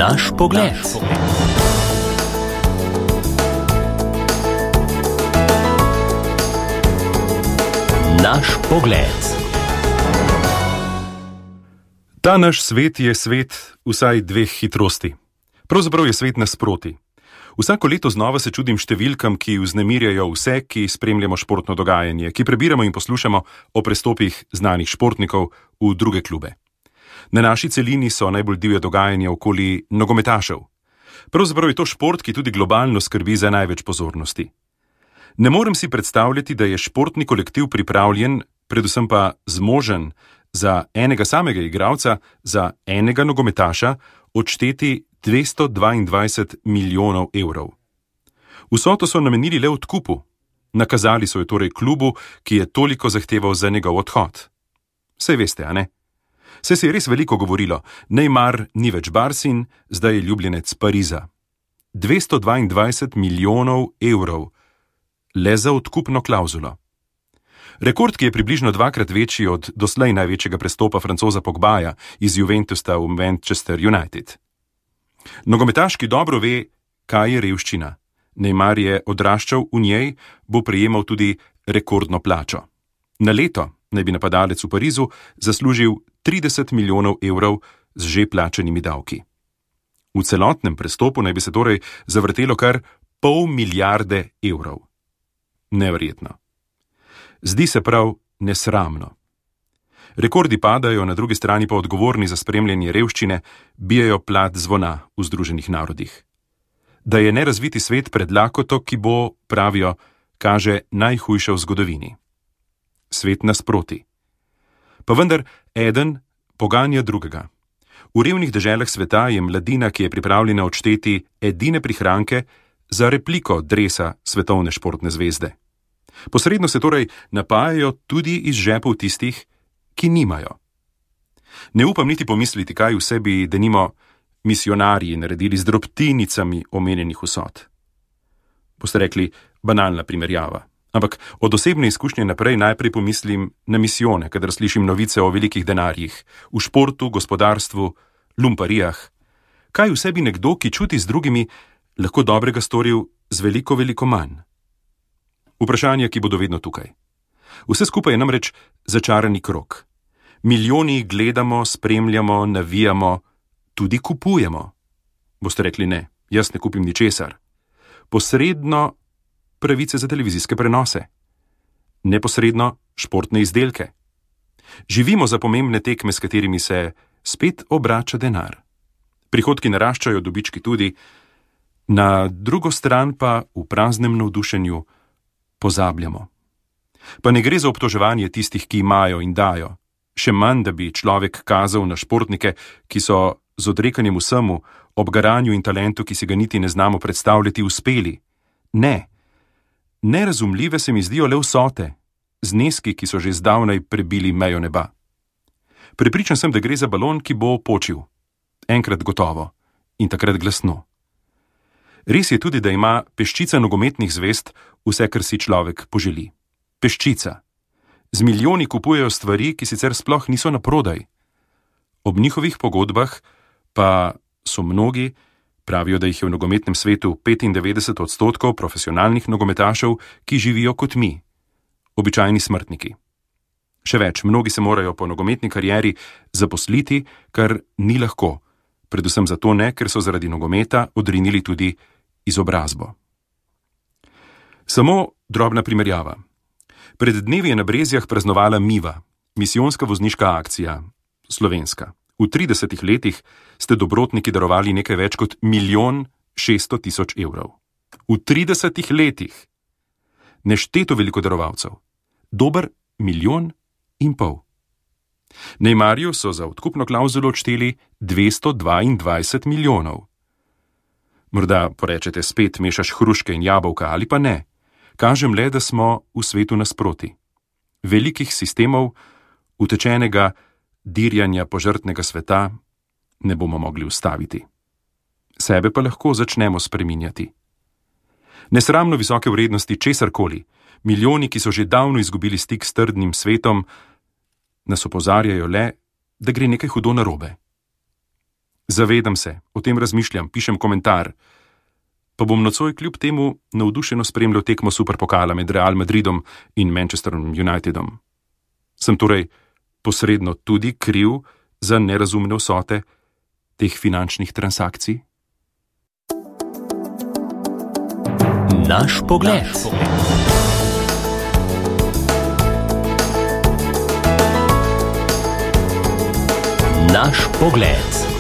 Naš pogled. Naš pogled. Ta naš svet je svet vsaj dveh hitrosti. Pravzaprav je svet nasproti. Vsako leto znova se čudim številkam, ki vznemirjajo vse, ki spremljamo športno dogajanje, ki prebiramo in poslušamo o prestopih znanih športnikov v druge klube. Na naši celini so najbolj divje dogajanja okoli nogometašev. Pravzaprav je to šport, ki tudi globalno skrbi za največ pozornosti. Ne morem si predstavljati, da je športni kolektiv pripravljen, predvsem pa zmožen, za enega samega igralca, za enega nogometaša, odšteti 222 milijonov evrov. Vsoto so namenili le odkupu. Nakazali so jo torej klubu, ki je toliko zahteval za njegov odhod. Saj veste, a ne? Saj se je res veliko govorilo, Neymar ni več Barsin, zdaj je ljubljenec Pariza. 222 milijonov evrov. Le za odkupno klavzulo. Rekord, ki je približno dvakrat večji od doslej največjega prestopa Francoza Pogbaja iz Juventusa v Manchester United. Nogometaš, ki dobro ve, kaj je revščina. Neymar je odraščal v njej, bo prejemal tudi rekordno plačo. Na leto naj bi napadalec v Parizu zaslužil 30 milijonov evrov z že plačanimi davki. V celotnem prestopu naj bi se torej zavrtelo kar pol milijarde evrov. Neverjetno. Zdi se prav nesramno. Rekordi padajo, na drugi strani pa odgovorni za spremljanje revščine bijejo plat zvona v Združenih narodih. Da je nerazviti svet pred lakoto, ki bo, pravijo, kaže najhujše v zgodovini. Svet nasproti. Pa vendar eden poganja drugega. V revnih deželah sveta je mladina, ki je pripravljena odšteti edine prihranke za repliko dresa svetovne športne zvezde. Posredno se torej napajajo tudi iz žepov tistih, ki nimajo. Ne upam niti pomisliti, kaj vse bi denimo misionarji naredili z drobtinicami omenjenih vsot. Boste rekli, banalna primerjava. Ampak od osebne izkušnje naprej najprej pomislim na misijone, kadar slišim novice o velikih denarjih, v športu, gospodarstvu, lumparijah. Kaj vse bi nekdo, ki čuti z drugimi, lahko dobrega storil z veliko, veliko manj? Vprašanja, ki bodo vedno tukaj. Vse skupaj je namreč začarani krog. Milijoni gledamo, spremljamo, navijamo, tudi kupujemo. Boste rekli ne, jaz ne kupim ničesar. Posredno pravice za televizijske prenose. Neposredno športne izdelke. Živimo za pomembne tekme, s katerimi se spet obrača denar. Prihodki naraščajo, dobički tudi. Na drugo stran pa v praznem navdušenju pozabljamo. Pa ne gre za obtoževanje tistih, ki imajo in dajo. Še manj, da bi človek kazal na športnike, ki so z odrekanjem vsemu, ob garanju in talentu, ki si ga niti ne znamo predstavljati, uspeli. Ne. Nerazumljive se mi zdijo le vsote, zneski, ki so že zdavnaj prebili mejo neba. Prepričan sem, da gre za balon, ki bo počil. Enkrat gotovo. In takrat glasno. Res je tudi, da ima peščica nogometnih zvezd vse, kar si človek poželi. Peščica. Z milijoni kupujejo stvari, ki sicer sploh niso na prodaj. Ob njihovih pogodbah pa so mnogi, pravijo, da jih je v nogometnem svetu 95% profesionalnih nogometašev, ki živijo kot mi. Običajni smrtniki. Še več, mnogi se morajo po nogometni karieri zaposliti, kar ni lahko. Predvsem zato ne, ker so zaradi nogometa odrinili tudi izobrazbo. Samo drobna primerjava. Pred dnevi je na Brezjah praznovala Miva, misijonska vozniška akcija, slovenska. V 30 letih ste dobrotniki darovali nekaj več kot 1 600 000 evrov. V 30 letih. Nešteto veliko darovalcev. Dober 1,5 milijona. Neymarju so za odkupno klavzulo odšteli 222 milijonov. Morda porečete, spet mešaš hruške in jabolka, ali pa ne. Kažem le, da smo v svetu nasproti. Velikih sistemov, utečenega dirjanja požrtnega sveta ne bomo mogli ustaviti. Sebe pa lahko začnemo spreminjati. Nesramno visoke vrednosti česarkoli, milijoni, ki so že davno izgubili stik s trdnim svetom, nas opozarjajo le, da gre nekaj hudo narobe. Zavedam se, o tem razmišljam, pišem komentar. Pa bom nocoj kljub temu navdušeno spremljal tekmo Superpokala med Real Madridom in Manchesterom Unitedom. Sem torej posredno tudi kriv za nerazumne vsote teh finančnih transakcij? Naš pogled. Naš pogled.